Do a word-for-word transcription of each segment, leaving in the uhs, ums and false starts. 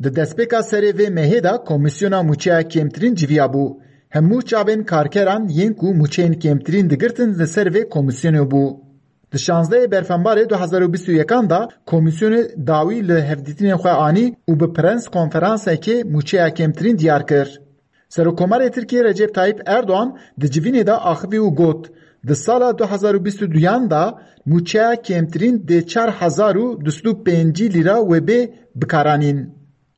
Di destpêka serê vê mehê de komîsyona mûçeya kêmtirîn civiya bû. Hemû çavên karkeran yên ku mûçeyên kêmtirîn digirtin li ser vê komîsyonê bû. Di şazdehê Berfembarê du hezar û bîst û yekan de komîsyonê dawî li hevdîtinên xwe anî û bi prens konferansekê mûçeya kêmtirîn diyar kir. Serokkomarê Tirkiyê Recep Tayyip Erdoğan di civînê de axivî û got, di sala du hezar û bîst û duyan de mûçeya kêmtirîn dê çar hezar û du sed û pêncî lîra wê bê bikaranîn.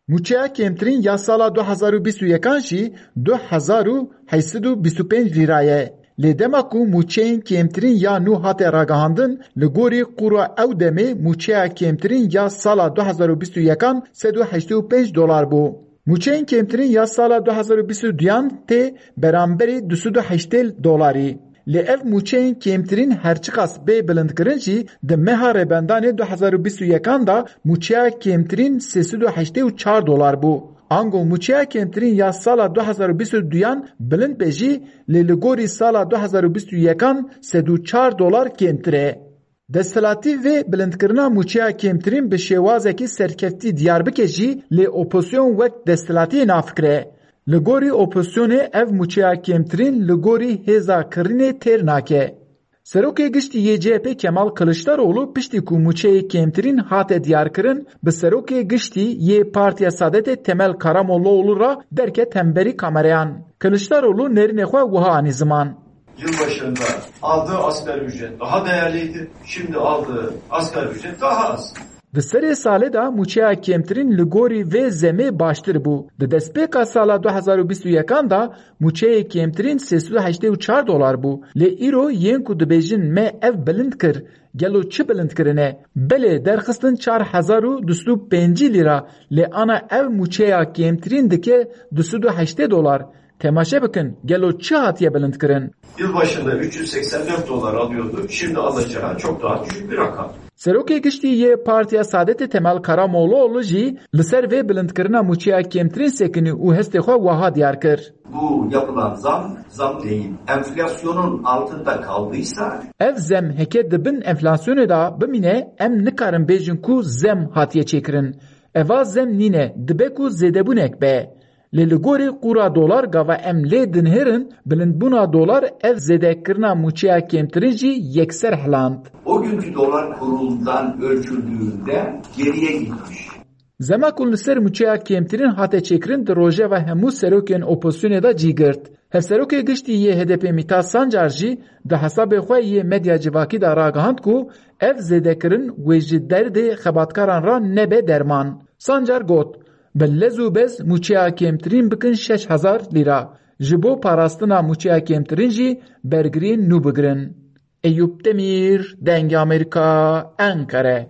Mûçeya kêmtirîn ya sala du hezar û bîst û yekan jî du hezar û heşt sed û bîst û pênc lîra ye. Lê dema ku mûçeyên kêmtirîn ya nû hate ragihandin, li gorî qûra ew demê mûçeya kêmtirîn ya sala du hezar û bîst û yekan sed û heştê û pênc dolar bû. Mûçeyên kêmtirîn ya sala du hezar û bîst û duyan tê beramberî du sed û heştê dolarî. Lê ev mûçeyên kêmtirîn her çiqas bê bilindkirin jî, di meha Rêbendanê du hezar û bîst û yekan de mûçeya kêmtirîn sê sed û heştê û çar dolar bû. Ango mûçeya kêmtirîn ya sala du hezar û bîst û duyan bilind be jî, lê li gorî sala du hezar û bîst û yekan sed û çar dolar kêmtir e. Desthilatî vê bilindkirina mûçeya kêmtirîn bi şêwazekî serkeftî diyar bike jî, lê opozîsyon wek desthilatiyê nafikire. Li gorî opozîsyonê ev mûçeya kêmtirîn li gorî hêza kirînê têr nake. Serokê Giştî yê C H P Kemal Kiliçdaroglu piştî ku mûçeyê kêmtirîn hate diyarkirin, bi Serokê Giştî yê Partiya Saadetê Temel Karamollaoglu re derket hemberî kamereyan. Kiliçdaroglu nerînê xwe wiha anî ziman. Yılbaşında aldığı asgari ücret daha değerliydi. Şimdi aldığı asgari ücret daha az. Di serê salê de mûçeya kêmtirîn li gorî vê zemê baştir bû. Di destpêka sala du hezar û bîst û yekan de mûçeyê kêmtirîn sê sed û heştê û çar dolar bû. Lê îro yên ku dibêjin me ev bilind kir, gelo çi bilind kirine? Belê derxistin çar hezar û du sed û pêncî lîra, lê ana ev mûçeya kêmtirîn dike du sed û heştê dolar. Temaşe bikin, gelo çi hatiye bilindkirin? Yılbaşında üç yüz seksen dört dolar alıyordu. Şimdi alacağı çok daha düşük bir rakam. Serokê Giştî yê Partiya Saadetê Temel Karamollaoglu jî li ser vê bilindkirina mûçeya kêmtirîn sekinî û hestê xwe wiha diyar kir. Bu yapılan zam, zam değil. Enflasyonun altında kaldıysa. Ev zem heke di bin enflasyonê de bimîne, em nikarin bêjin ku zem hatiye çêkirin. Eva zem nîne, dibe ku zêdebûnek be. Lê li gorî qûra dolar gava em lê dinihêrin, bilindbûna dolar ev zêdekirina mûçeya kêmtirîn jî yekser hiland. O günkü dolar kurundan ölçüldüğünde geriye gitmiş. Zema ku li ser mûçeya kêmtirîn hate çêkirin di rojeva hemû serokên opozisyonê de cî girt. Hevserokê Giştî yê H D P Mîtat Sancar jî di hesabê xwe yê medya civakî de ragihand ku ev zêdekirin wê ji derdê xebatkaran re nebe derman. Sancar got, bi lez û bez mûçeya kêmtirîn bikin şeş hezar lîra. Ji bo parastina mûçeya kêmtirîn jî bergiriyên nû bigirin. Eyûp Demîr, Dengê Amerîka, Enqere.